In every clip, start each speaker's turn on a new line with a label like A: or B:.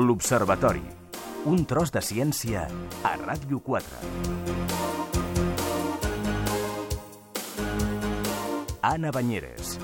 A: L'Observatori. Un tros de ciència a Ràdio 4. Anna Banyeres.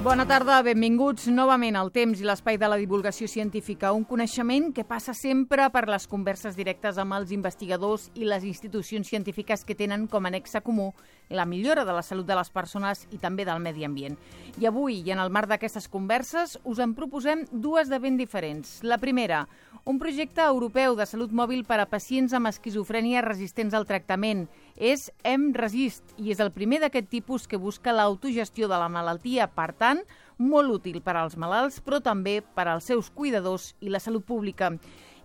B: Bona tarda, benvinguts novament al temps i l'espai de la divulgació científica, un coneixement que passa sempre per les converses directes amb els investigadors i les institucions científiques que tenen com a nexe comú la millora de la salut de les persones i també del medi ambient. I avui, i en el marc d'aquestes converses, us en proposem dues de ben diferents. La primera, un projecte europeu de salut mòbil per a pacients amb esquizofrènia resistents al tractament. És EmResist i és el primer d'aquest tipus que busca l'autogestió de la malaltia, per tant, molt útil per als malalts, però també per als seus cuidadors i la salut pública.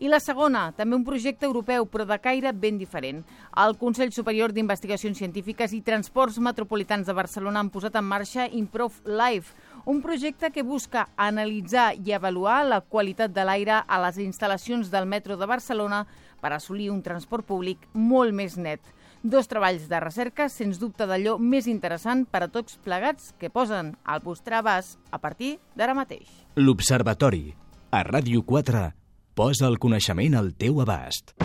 B: I la segona, també un projecte europeu, però de caire ben diferent. El Consell Superior d'Investigacions Científiques i Transports Metropolitans de Barcelona han posat en marxa Improve Life, un projecte que busca analitzar i avaluar la qualitat de l'aire a les instal·lacions del metro de Barcelona per assolir un transport públic molt més net. Dos treballs de recerca, sens dubte d'allò més interessant per a tots plegats que posen al vostre abast a partir d'ara mateix.
A: L'Observatori. A Ràdio 4 posa el coneixement al teu abast.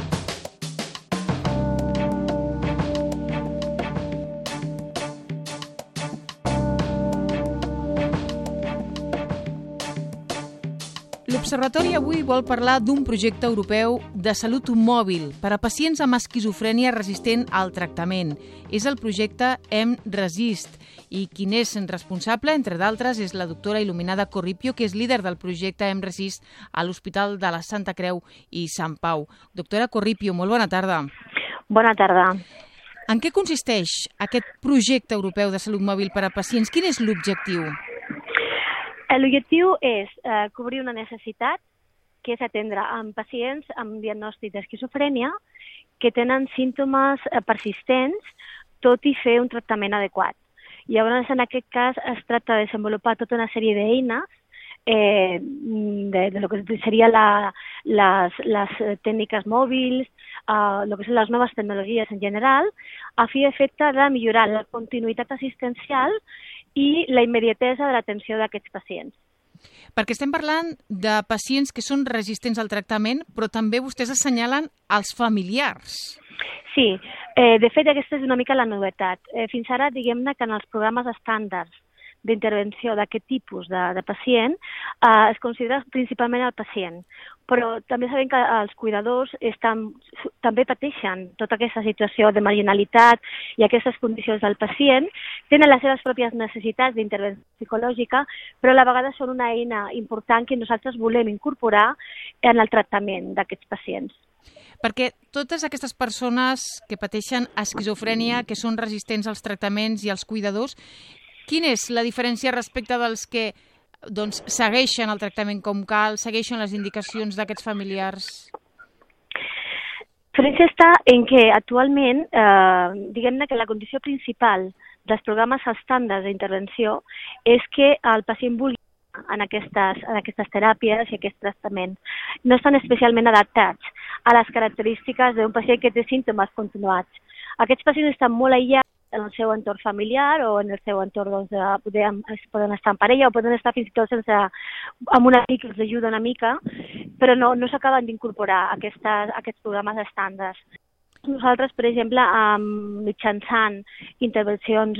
B: L'Observatori avui vol parlar d'un projecte europeu de salut mòbil per a pacients amb esquizofrènia resistent al tractament. És el projecte EmResist i qui n'és responsable, entre d'altres, és la doctora Il·luminada Corripio, que és líder del projecte EmResist a l'Hospital de la Santa Creu i Sant Pau. Doctora Corripio, molt bona tarda.
C: Bona tarda.
B: En què consisteix aquest projecte europeu de salut mòbil per a pacients? Quin és l'objectiu?
C: L'objectiu és cobrir una necessitat, que és atendre amb pacients amb diagnòstic d'esquizofrènia que tenen símptomes persistents, tot i fer un tractament adequat. Llavors, en aquest cas, es tracta de desenvolupar tota una sèrie d'eines de lo que seria les tècniques mòbils, lo que són les noves tecnologies en general, a fi i efecte de millorar la continuïtat assistencial i la immediatesa de l'atenció d'aquests pacients.
B: Perquè estem parlant de pacients que són resistents al tractament, però també vostès assenyalen els familiars.
C: Sí, de fet aquesta és una mica la novetat. Fins ara, diguem-ne que en els programes estàndards d'intervenció d'aquest tipus de pacient es considera principalment el pacient, però també sabem que els cuidadors també pateixen tota aquesta situació de marginalitat i aquestes condicions del pacient, tenen les seves pròpies necessitats d'intervenció psicològica, però a la vegada són una eina important que nosaltres volem incorporar en el tractament d'aquests pacients.
B: Perquè totes aquestes persones que pateixen esquizofrènia, que són resistents als tractaments i als cuidadors, quina és la diferència respecte dels que segueixen el tractament com cal, segueixen les indicacions d'aquests familiars?
C: La diferència està en que actualment, diguem-ne que la condició principal dels programes estàndards d'intervenció és que el pacient vulgui en aquestes teràpies i aquests tractaments. No estan especialment adaptats a les característiques d'un pacient que té símptomes continuats. Aquests pacients estan molt aïllats en el seu entorn familiar o en el seu entorn, poden estar en parella o poden estar fins i tot amb un amic que els ajuda una mica, però no s'acaben d'incorporar a aquests programes estàndards. Nosaltres, per exemple, mitjançant intervencions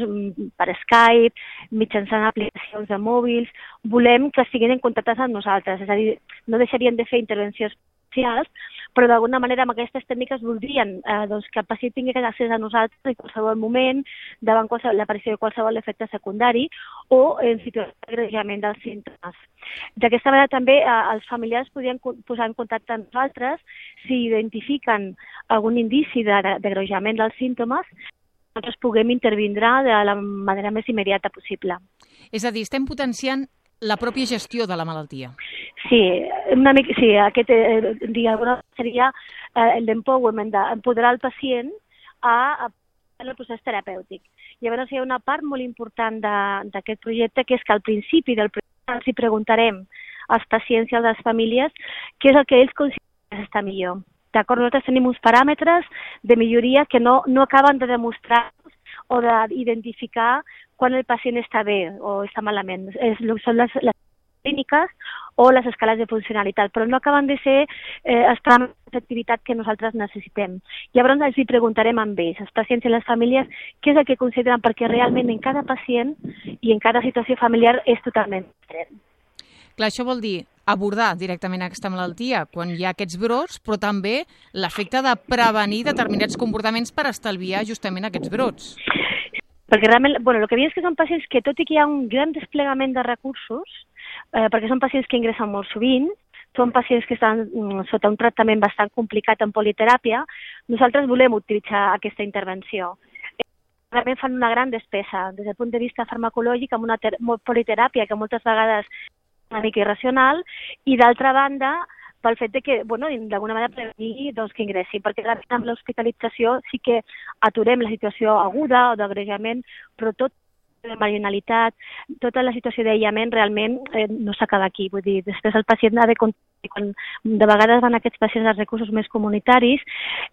C: per Skype, mitjançant aplicacions de mòbils, volem que estiguin en contacte amb nosaltres, és a dir, no deixarien de fer intervencions socials, però d'alguna manera amb aquestes tècniques voldrien que el pacient tingui accés a nosaltres en qualsevol moment, davant l'aparició de qualsevol efecte secundari o en situació d'agreujament dels símptomes. D'aquesta manera també els familiars podrien posar en contacte amb nosaltres si identifiquen algun indici d'agreujament dels símptomes, nosaltres puguem intervindre de la manera més immediata possible.
B: És a dir, estem potenciant la pròpia gestió de la malaltia.
C: Sí, aquest seria l'empowerment, d'empoderar el pacient en el procés terapèutic. Llavors hi ha una part molt important d'aquest projecte, que és que al principi del projecte els preguntarem als pacients i a les famílies què és el que ells consideren que està millor. D'acord, nosaltres tenim uns paràmetres de milloria que no acaben de demostrar o d'identificar quan el pacient està bé o està malament. Són les clíniques o les escales de funcionalitat, però no acaben de ser estar amb l'activitat que nosaltres necessitem. Llavors els hi preguntarem amb ells, els pacients i les famílies, què és el que consideren, perquè realment en cada pacient i en cada situació familiar és totalment diferent.
B: Clar, això vol dir abordar directament aquesta malaltia quan hi ha aquests brots, però també l'efecte de prevenir determinats comportaments per estalviar justament aquests brots.
C: Perquè realment, el que veiem és que són pacients que, tot i que hi ha un gran desplegament de recursos, perquè són pacients que ingressen molt sovint, són pacients que estan sota un tractament bastant complicat en politeràpia, nosaltres volem utilitzar aquesta intervenció. Realment fan una gran despesa des del punt de vista farmacològic amb una politeràpia que moltes vegades una mica irracional, i d'altra banda pel fet de que, d'alguna manera prevenir que ingressi, perquè amb l'hospitalització sí que aturem la situació aguda o d'agreujament, però tot de marginalitat, tota la situació d'aïllament realment no s'acaba aquí. Vull dir, després el pacient ha de quan de vegades van aquests pacients als recursos més comunitaris,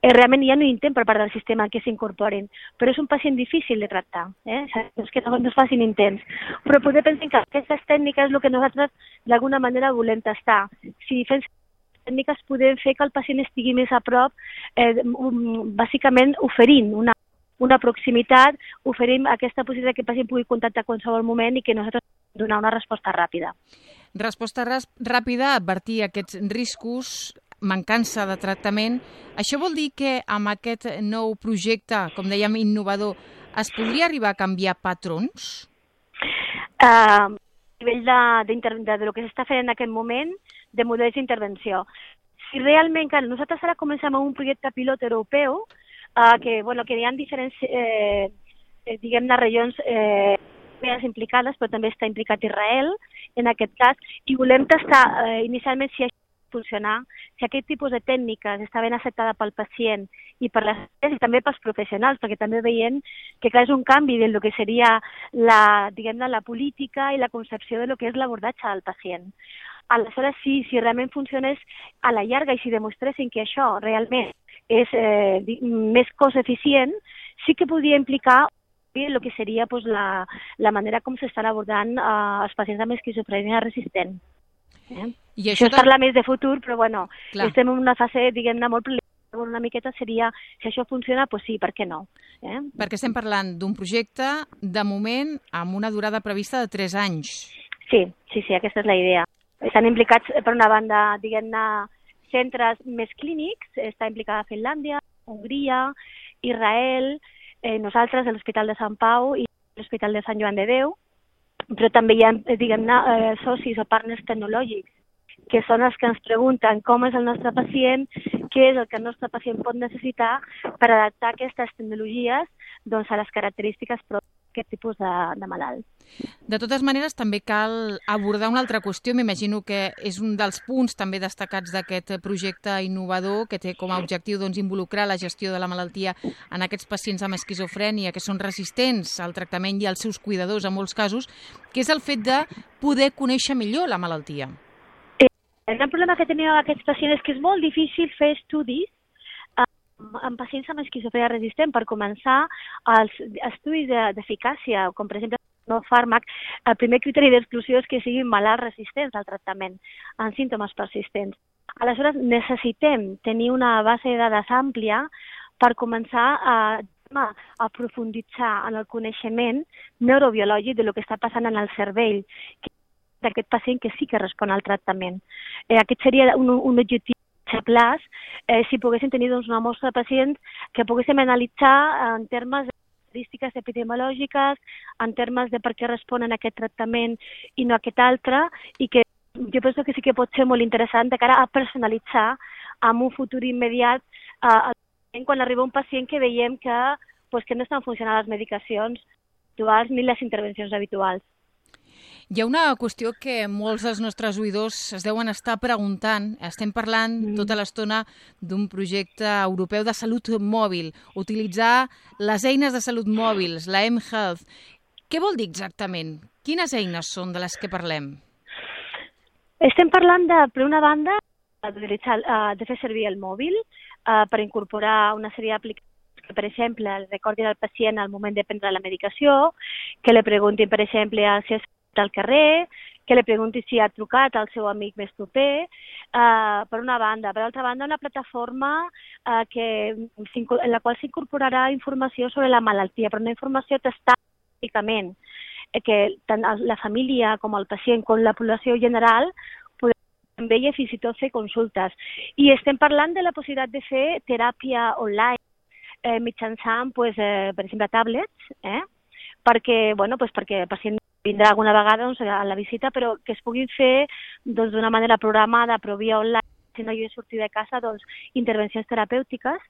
C: realment hi ha un intent per part del sistema que s'incorporin, però és un pacient difícil de tractar, és que no es facin intents. Però poder pensar que aquestes tècniques és el que nosaltres d'alguna manera volem tastar. Si fem tècniques podem fer que el pacient estigui més a prop, bàsicament oferint una proximitat, oferim aquesta possibilitat que el pacient pugui contactar a qualsevol moment i que nosaltres donar una resposta ràpida.
B: Resposta ràpida, advertir aquests riscos, mancança de tractament. Això vol dir que amb aquest nou projecte, com dèiem, innovador, es podria arribar a canviar patrons?
C: A nivell de que s'està fent en aquest moment, de models d'intervenció. Si realment, nosaltres ara comencem amb un projecte pilot europeu, que hi ha diferents, diguem-ne, regions més implicades, però també està implicat Israel, en aquest cas, i volem tastar inicialment si això funcionar, si aquest tipus de tècniques està ben acceptada pel pacient i per les i també pels professionals, perquè també veiem que és un canvi del que seria la política i la concepció de lo que és l'abordatge del pacient. Aleshores, si realment funcionés a la llarga i si demostressin que això realment és més cost eficient, sí que podria implicar el que seria la manera com s'estan abordant els pacients amb esquizofrènia resistent.
B: I
C: això es parla més de futur, però estem en una fase, diguem-ne, molt preliminar. Una miqueta seria, si això funciona, doncs sí, per què no?
B: Perquè estem parlant d'un projecte, de moment, amb una durada prevista de 3 anys.
C: Sí, aquesta és la idea. Estan implicats, per una banda, diguem-ne, centres més clínics, està implicada Finlàndia, Hongria, Israel, nosaltres, l'Hospital de Sant Pau i l'Hospital de Sant Joan de Déu, però també hi ha, diguem-ne, socis o partners tecnològics, que són els que ens pregunten com és el nostre pacient, què és el que el nostre pacient pot necessitar per adaptar aquestes tecnologies a les característiques pròpies d'aquest tipus de malalt.
B: De totes maneres, també cal abordar una altra qüestió. M'imagino que és un dels punts també destacats d'aquest projecte innovador que té com a objectiu involucrar la gestió de la malaltia en aquests pacients amb esquizofrènia que són resistents al tractament i als seus cuidadors en molts casos, que és el fet de poder conèixer millor la malaltia.
C: El gran problema que tenim amb aquests pacients és que és molt difícil fer estudis amb pacients amb esquizofrènia resistent. Per començar, els estudis d'eficàcia, com per exemple no fàrmac, el primer criteri d'exclusió és que siguin malalts resistents al tractament, amb símptomes persistents. Aleshores, necessitem tenir una base de dades àmplia per començar a profunditzar en el coneixement neurobiològic de lo que està passant en el cervell d'aquest pacient que sí que respon al tractament. Aquest seria un objectiu a plaç, si poguéssim tenir una mostra de pacients que poguéssim analitzar en termes de característiques epidemiològiques, en termes de per què responen a aquest tractament i no a aquest altre, i que jo penso que sí que pot ser molt interessant de cara a personalitzar en un futur immediat quan arriba un pacient que veiem que no estan funcionant les medicacions habituals ni les intervencions habituals.
B: Hi ha una qüestió que molts dels nostres oïdors es deuen estar preguntant. Estem parlant tota l'estona d'un projecte europeu de salut mòbil, utilitzar les eines de salut mòbils, la mHealth. Què vol dir exactament? Quines eines són de les que parlem?
C: Estem parlant, per una banda, de fer servir el mòbil per incorporar una sèrie d'aplicacions que, per exemple, recordin al pacient al moment de prendre la medicació, que li preguntin, per exemple, si és al carrer, que li pregunti si ha trucat al seu amic més proper, per una banda. Per altra banda, una plataforma en la qual s'incorporarà informació sobre la malaltia, però una informació testada únicament, que tant la família com el pacient com la població general podran veure i fins i tot fer consultes. I estem parlant de la possibilitat de fer teràpia online mitjançant, per exemple, tablets, perquè el pacient vindrà alguna vegada a la visita, però que es puguin fer d'una manera programada, però via online, si no hi ha sortir de casa, intervencions terapèutiques,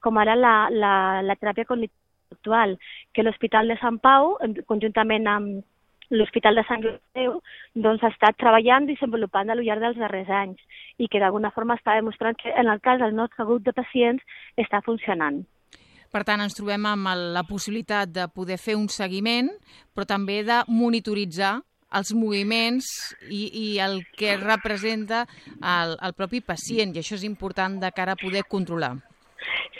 C: com ara la teràpia cognitiva actual, que l'Hospital de Sant Pau, conjuntament amb l'Hospital de Sant Llorenç, ha estat treballant i desenvolupant al llarg dels darrers anys i que d'alguna forma està demostrant que en el cas del nostre grup de pacients està funcionant.
B: Per tant, ens trobem amb la possibilitat de poder fer un seguiment, però també de monitoritzar els moviments i el que representa el propi pacient, i això és important de cara a poder controlar.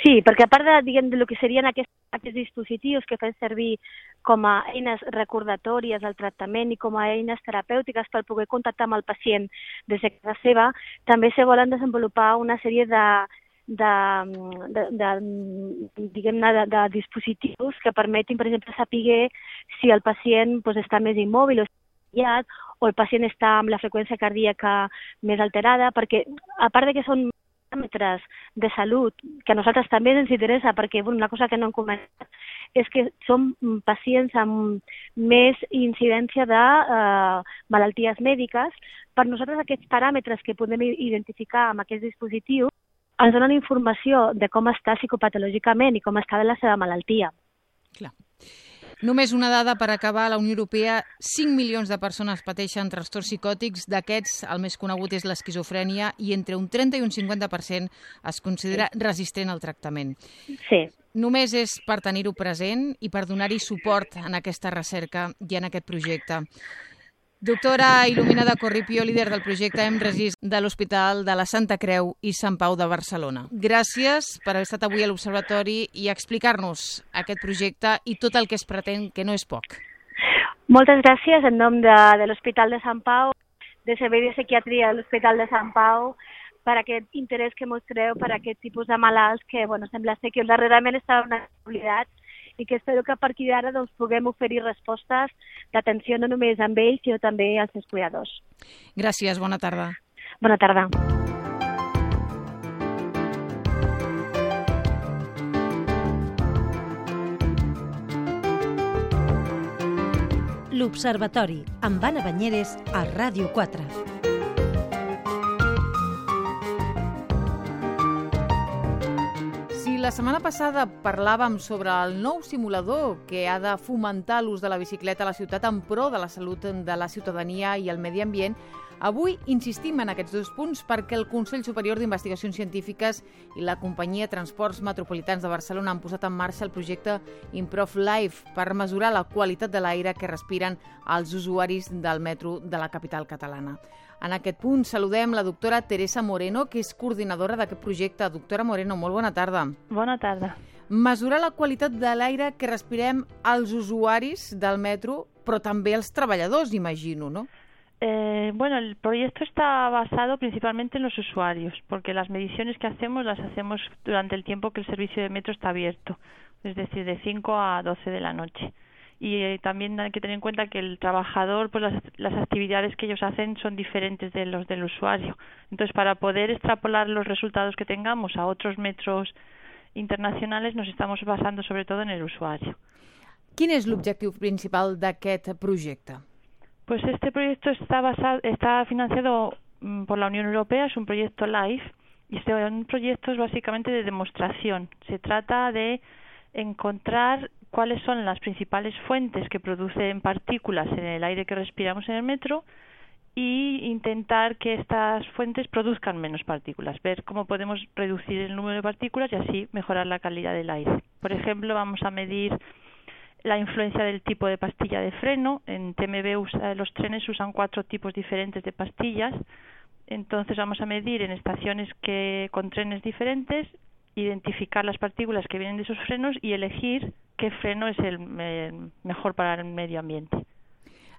C: Sí, perquè a part de lo que serien aquests dispositius que fan servir com a eines recordatòries del tractament i com a eines terapèutiques per poder contactar amb el pacient des de casa seva, també se volen desenvolupar una sèrie de dispositius que permetin, per exemple, saber si el pacient està més immòbil o el pacient està amb la freqüència cardíaca més alterada, perquè a part de que són paràmetres de salut, que a nosaltres també ens interessa, perquè una cosa que no hem comentat és que són pacients amb més incidència de malalties mèdiques. Per nosaltres aquests paràmetres que podem identificar amb aquests dispositius ens donen informació de com està psicopatològicament i com està de la seva malaltia.
B: Clar. Només una dada per acabar. A la Unió Europea 5 milions de persones pateixen trastorns psicòtics. D'aquests, el més conegut és l'esquizofrènia i entre un 30 i un 50% es considera resistent al tractament.
C: Sí.
B: Només és per tenir-ho present i per donar-hi suport en aquesta recerca i en aquest projecte. Doctora Il·luminada Corripio, líder del projecte EmResist de l'Hospital de la Santa Creu i Sant Pau de Barcelona. Gràcies per haver estat avui a l'Observatori i explicar-nos aquest projecte i tot el que es pretén, que no és poc.
C: Moltes gràcies en nom de l'Hospital de Sant Pau, de Servei de Psiquiatria de l'Hospital de Sant Pau, per aquest interès que mostreu per aquest tipus de malalts que sembla ser que darrerament estaven oblidats i que espero que a partir d'ara puguem oferir respostes d'atenció no només amb ells, sinó també als seus cuidadors.
B: Gràcies, bona tarda.
C: Bona tarda.
D: L'Observatori, amb Anna Banyeres, a Ràdio 4.
B: La setmana passada parlàvem sobre el nou simulador que ha de fomentar l'ús de la bicicleta a la ciutat en pro de la salut de la ciutadania i el medi ambient. Avui insistim en aquests dos punts perquè el Consell Superior d'Investigacions Científiques i la companyia Transports Metropolitans de Barcelona han posat en marxa el projecte Improve Life per mesurar la qualitat de l'aire que respiren els usuaris del metro de la capital catalana. En aquest punt saludem la doctora Teresa Moreno, que és coordinadora d'aquest projecte. Doctora Moreno, molt bona tarda.
E: Bona tarda.
B: Mesurar la qualitat de l'aire que respirem els usuaris del metro, però també els treballadors, imagino, ¿no?
E: El proyecto está basado principalmente en los usuarios, porque las mediciones que hacemos las hacemos durante el tiempo que el servicio de metro está abierto, es decir, de 5 a 12 de la noche. Y también hay que tener en cuenta que el trabajador, pues las actividades que ellos hacen son diferentes de los del usuario. Entonces, para poder extrapolar los resultados que tengamos a otros metros internacionales, nos estamos basando sobre todo en el usuario.
B: Quin és l'objectiu principal d'aquest projecte?
E: Pues este proyecto está financiado por la Unión Europea, es un proyecto LIFE, y son proyectos básicamente de demostración. Se trata de encontrar cuáles son las principales fuentes que producen partículas en el aire que respiramos en el metro y intentar que estas fuentes produzcan menos partículas, ver cómo podemos reducir el número de partículas y así mejorar la calidad del aire. Por ejemplo, vamos a medir la influencia del tipo de pastilla de freno. En TMB los trenes usan 4 tipos diferentes de pastillas, entonces vamos a medir en estaciones con trenes diferentes, identificar las partículas que vienen de esos frenos y elegir qué freno es el mejor para el medio ambiente.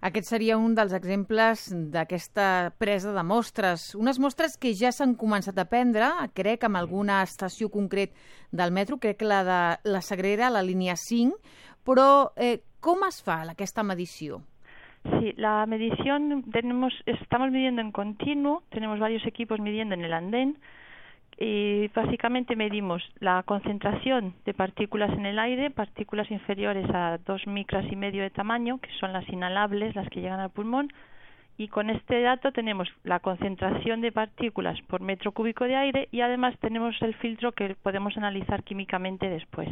B: Aquest seria un dels exemples d'aquesta presa de mostres. Unes mostres que ja s'han començat a prendre, crec, amb alguna estació concret del metro, crec que la de la Sagrera, la línia 5, però com es fa aquesta medició?
E: Sí, la medición estamos midiendo en continuo, tenemos varios equipos midiendo en el andén y básicamente medimos la concentración de partículas en el aire, partículas inferiores a 2,5 micras de tamaño, que son las inhalables, las que llegan al pulmón, y con este dato tenemos la concentración de partículas por metro cúbico de aire y además tenemos el filtro que podemos analizar químicamente después.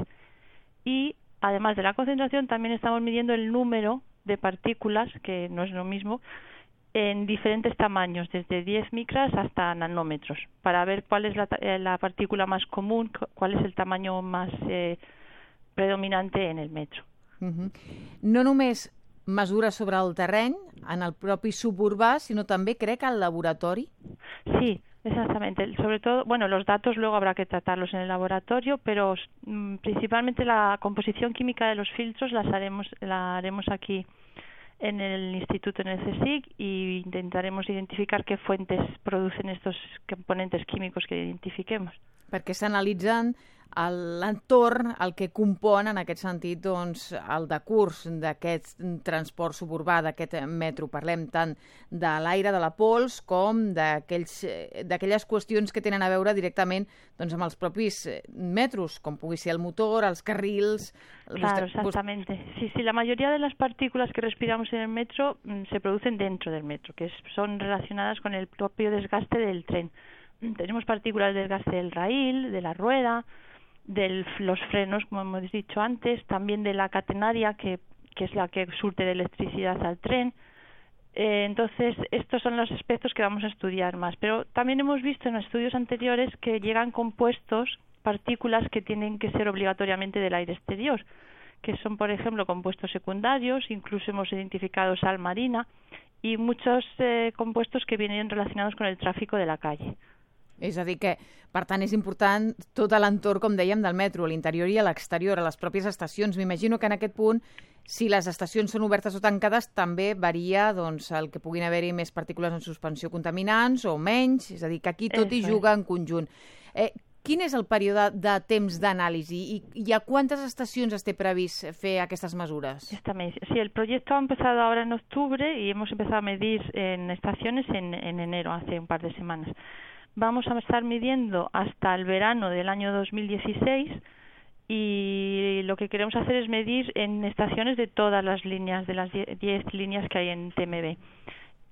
E: Y además de la concentración también estamos midiendo el número de partículas, que no es lo mismo, en diferentes tamaños, desde 10 micras hasta nanómetros, para ver cuál es la partícula más común, cuál es el tamaño más predominante en el metro.
B: No només mesures sobre el terreny, en el propi suburbà, sinó també, crec, al laboratori?
E: Sí, exactamente. Sobre todo, bueno, los datos luego habrá que tratarlos en el laboratorio, pero principalmente la composición química de los filtros la haremos aquí en el instituto, en el CSIC, y intentaremos identificar qué fuentes producen estos componentes químicos que identifiquemos.
B: Perquè s'analitzen l'entorn, el que compon en aquest sentit doncs, el decurs d'aquest transport suburbà, d'aquest metro. Parlem tant de l'aire, de la pols, com d'aquelles qüestions que tenen a veure directament doncs, amb els propis metros, com pugui ser el motor, els carrils...
E: Claro, exactamente. Sí, la mayoría de las partículas que respiramos en el metro se producen dentro del metro, que son relacionadas con el propio desgaste del tren. Tenemos partículas del desgaste del raíl, de la rueda, de los frenos, como hemos dicho antes, también de la catenaria, que es la que surte de electricidad al tren. Entonces, estos son los aspectos que vamos a estudiar más. Pero también hemos visto en estudios anteriores que llegan compuestos, partículas que tienen que ser obligatoriamente del aire exterior, que son, por ejemplo, compuestos secundarios, incluso hemos identificado sal marina y muchos compuestos que vienen relacionados con el tráfico de la calle.
B: És a dir que, per tant, és important tot l'entorn, com dèiem, del metro, a l'interior i a l'exterior, a les pròpies estacions. M'imagino que en aquest punt, si les estacions són obertes o tancades, també varia doncs, el que puguin haver-hi més partícules en suspensió contaminants o menys, és a dir, que aquí tot hi juga en conjunt. Quin és el període de temps d'anàlisi i a quantes estacions es té previst fer aquestes mesures?
E: Sí, el proyecto ha empezado ahora en octubre y hemos empezado a medir en estaciones en enero, hace un par de semanas. Vamos a estar midiendo hasta el verano del año 2016 y lo que queremos hacer es medir en estaciones de todas las líneas, de las 10 líneas que hay en TMB.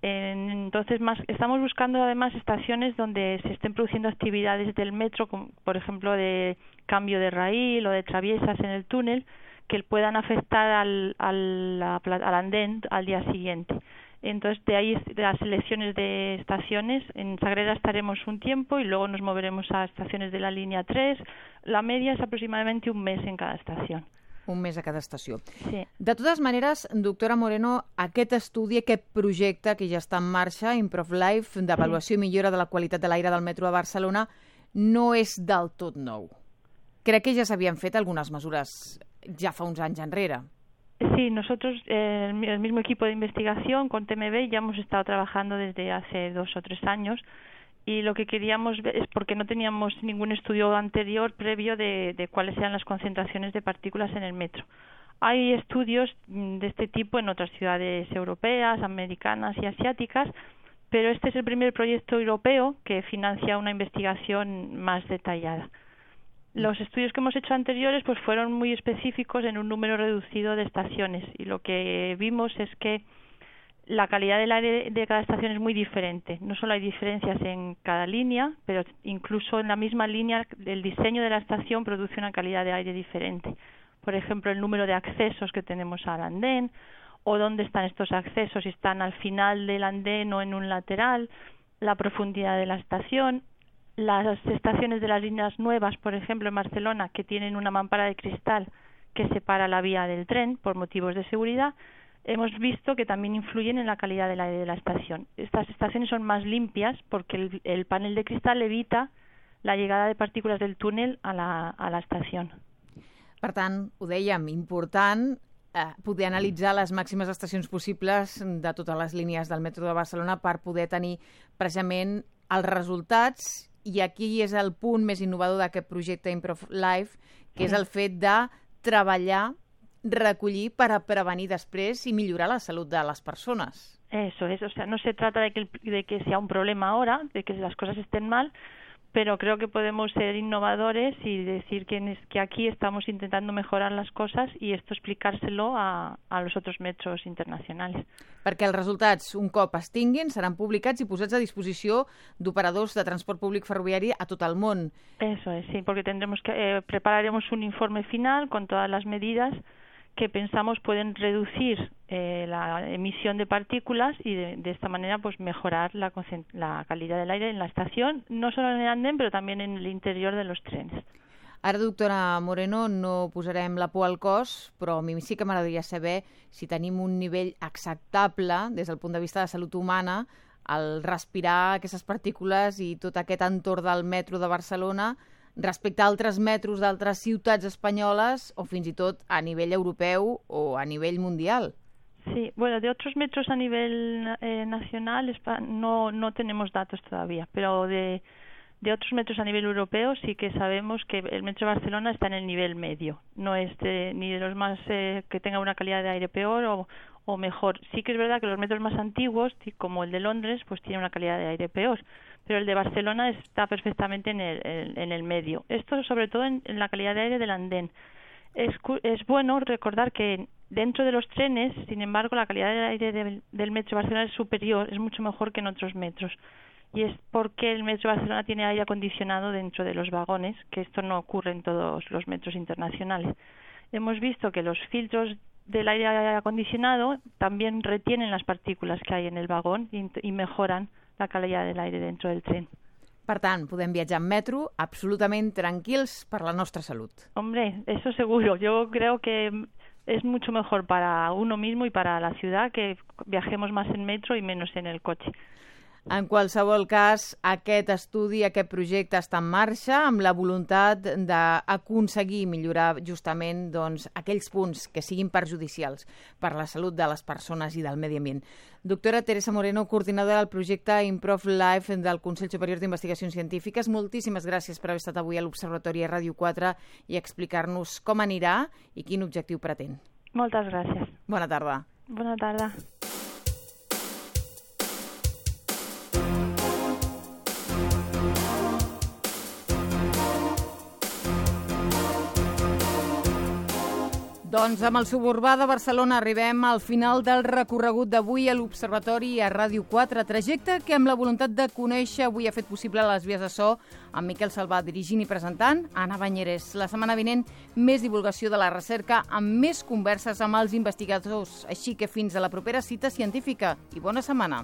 E: Entonces, estamos buscando además estaciones donde se estén produciendo actividades del metro, como, por ejemplo, de cambio de raíl o de traviesas en el túnel, que puedan afectar al andén al día siguiente. Entonces, de ahí las selecciones de estaciones. En Sagrera estaremos un tiempo y luego nos moveremos a estaciones de la línea 3. La media es aproximadamente un mes en cada estació.
B: Un mes a cada estació.
E: Sí.
B: De totes maneres, doctora Moreno, aquest estudi, aquest projecte que ja està en marxa, ImprovLife, d'avaluació i millora de la qualitat de l'aire del metro de Barcelona, no és del tot nou. Crec que ja s'havien fet algunes mesures ja fa uns anys enrere.
E: Sí, nosotros, el mismo equipo de investigación con TMB, ya hemos estado trabajando desde hace 2 o 3 años y lo que queríamos ver es porque no teníamos ningún estudio anterior previo de cuáles eran las concentraciones de partículas en el metro. Hay estudios de este tipo en otras ciudades europeas, americanas y asiáticas, pero este es el primer proyecto europeo que financia una investigación más detallada. Los estudios que hemos hecho anteriores pues fueron muy específicos en un número reducido de estaciones y lo que vimos es que la calidad del aire de cada estación es muy diferente. No solo hay diferencias en cada línea, pero incluso en la misma línea el diseño de la estación produce una calidad de aire diferente. Por ejemplo, el número de accesos que tenemos al andén o dónde están estos accesos, si están al final del andén o en un lateral, la profundidad de la estación. Las estaciones de las líneas nuevas, por ejemplo, en Barcelona, que tienen una mampara de cristal que separa la vía del tren por motivos de seguridad, hemos visto que también influyen en la calidad del aire de la estación. Estas estaciones son más limpias porque el panel de cristal evita la llegada de partículas del túnel a la estación.
B: Per tant, ho dèiem, important poder analitzar les màximes estacions possibles de totes les línies del metro de Barcelona per poder tenir precisament els resultats, i aquí és el punt més innovador d'aquest projecte Improve Life, que és el fet de treballar, recollir per a prevenir després i millorar la salut de les persones.
E: Eso es, o sea, no se trata de que sea un problema ahora, de que las cosas estén mal, pero creo que podemos ser innovadores y decir que aquí estamos intentando mejorar las cosas y esto explicárselo a los otros metros internacionals.
B: Perquè els resultats, un cop es tinguin, seran publicats i posats a disposició d'operadors de transport públic ferroviari a tot el món.
E: Eso es, sí, porque prepararemos un informe final con todas las medidas que pensamos pueden reducir la emisión de partículas y de esta manera pues mejorar la calidad del aire en la estación, no solo en el andén, pero también en el interior de los trenes.
B: Ara, doctora Moreno, no posarem la por al cos, però a mi sí que m'agradaria saber si tenim un nivell acceptable des del punt de vista de salut humana al respirar aquestes partícules i tot aquest entorn del metro de Barcelona respecte a altres metros d'altres ciutats espanyoles o fins i tot a nivell europeu o a nivell mundial.
E: Sí, bueno, de otros metros a nivel nacional no tenemos datos todavía, pero de otros metros a nivel europeo sí que sabemos que el metro de Barcelona está en el nivel medio, no es ni de los más que tenga una calidad de aire peor o mejor. Sí que es verdad que los metros más antiguos, como el de Londres, pues tiene una calidad de aire peor, pero el de Barcelona está perfectamente en el medio. Esto sobre todo en la calidad de aire del andén. Es bueno recordar que dentro de los trenes, sin embargo, la calidad del aire del metro de Barcelona es superior, es mucho mejor que en otros metros. Y es porque el metro de Barcelona tiene aire acondicionado dentro de los vagones, que esto no ocurre en todos los metros internacionales. Hemos visto que los filtros del aire acondicionado también retienen las partículas que hay en el vagón y mejoran la calidad del aire dentro del tren.
B: Per tant, podem viatjar en metro absolutament tranquils per la nostra salut.
E: Hombre, eso seguro. Yo creo que es mucho mejor para uno mismo y para la ciudad que viajemos más en metro y menos en el coche.
B: En qualsevol cas, aquest estudi, aquest projecte està en marxa amb la voluntat d'aconseguir millorar justament aquells punts que siguin perjudicials per la salut de les persones i del medi ambient. Doctora Teresa Moreno, coordinadora del projecte Improve Life del Consell Superior d'Investigacions Científiques, moltíssimes gràcies per haver estat avui a l'Observatori a Ràdio 4 i explicar-nos com anirà i quin objectiu pretén.
E: Moltes gràcies.
B: Bona tarda.
E: Bona tarda.
B: Doncs amb el suburbà de Barcelona arribem al final del recorregut d'avui a l'Observatori a Ràdio 4, trajecte que amb la voluntat de conèixer avui ha fet possible les vies de so amb Miquel Salvà dirigint i presentant, Anna Banyeres. La setmana vinent, més divulgació de la recerca amb més converses amb els investigadors. Així que fins a la propera cita científica i bona setmana.